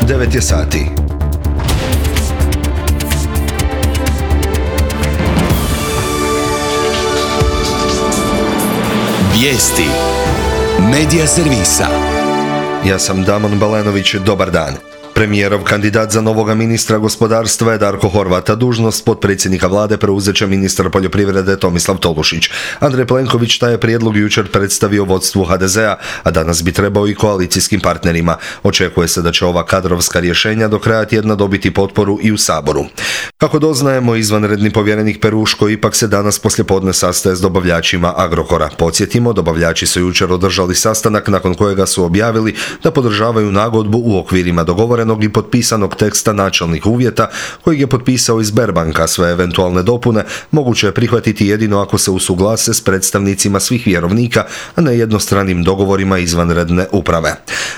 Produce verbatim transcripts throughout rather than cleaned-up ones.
devet je sati. Vijesti Medija servisa. Ja sam Damon Balenović, dobar dan. Premijerov kandidat za novoga ministra gospodarstva je Darko Horvat, a dužnost potpredsjednika vlade preuzet će ministar poljoprivrede Tomislav Tolušić. Andrej Plenković taj je prijedlog jučer predstavio vodstvu ha de zea, a danas bi trebao i koalicijskim partnerima. Očekuje se da će ova kadrovska rješenja do kraja tjedna dobiti potporu i u Saboru. Kako doznajemo, izvanredni povjerenik Peruško ipak se danas poslijepodne sastaje s dobavljačima Agrokora. Podsjetimo, dobavljači su jučer održali sastanak nakon kojega su objavili da podržavaju nagodbu u okvirima dogovorenog i potpisanog teksta načelnih uvjeta kojeg je potpisao iz Sberbanka. Sve eventualne dopune moguće je prihvatiti jedino ako se usuglase s predstavnicima svih vjerovnika, a ne jednostranim dogovorima izvanredne uprave.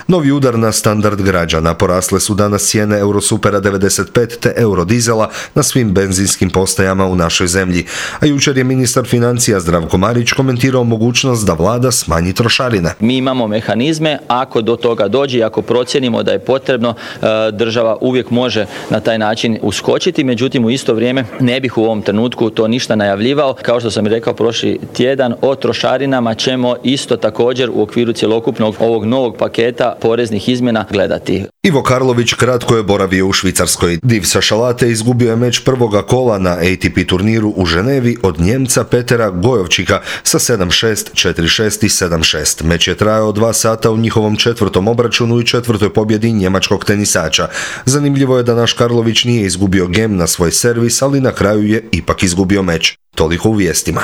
Novi udar na standard građana. Porasle su danas cijene Eurosupera devedeset pet te Eurodizela na svim benzinskim postajama u našoj zemlji. A jučer je ministar financija Zdravko Marić komentirao mogućnost da vlada smanji trošarine. Mi imamo mehanizme, ako do toga dođe i ako procijenimo da je potrebno, država uvijek može na taj način uskočiti, međutim u isto vrijeme ne bih u ovom trenutku to ništa najavljivao. Kao što sam rekao prošli tjedan, o trošarinama ćemo isto također u okviru cjelokupnog ovog novog paketa poreznih izmjena gledati. Ivo Karlović kratko je boravio u Švicarskoj. Div sa Šalate izgubio je meč prvoga kola na A T P turniru u Ženevi od Njemca Petera Gojovčika sa sedam šest, četiri šest i sedam šest. Meč je trajao dva sata u njihovom četvrtom obračunu i četvrtoj pobjedi njemačkog tenisača. Zanimljivo je da naš Karlović nije izgubio gem na svoj servis, ali na kraju je ipak izgubio meč. Toliko u vijestima.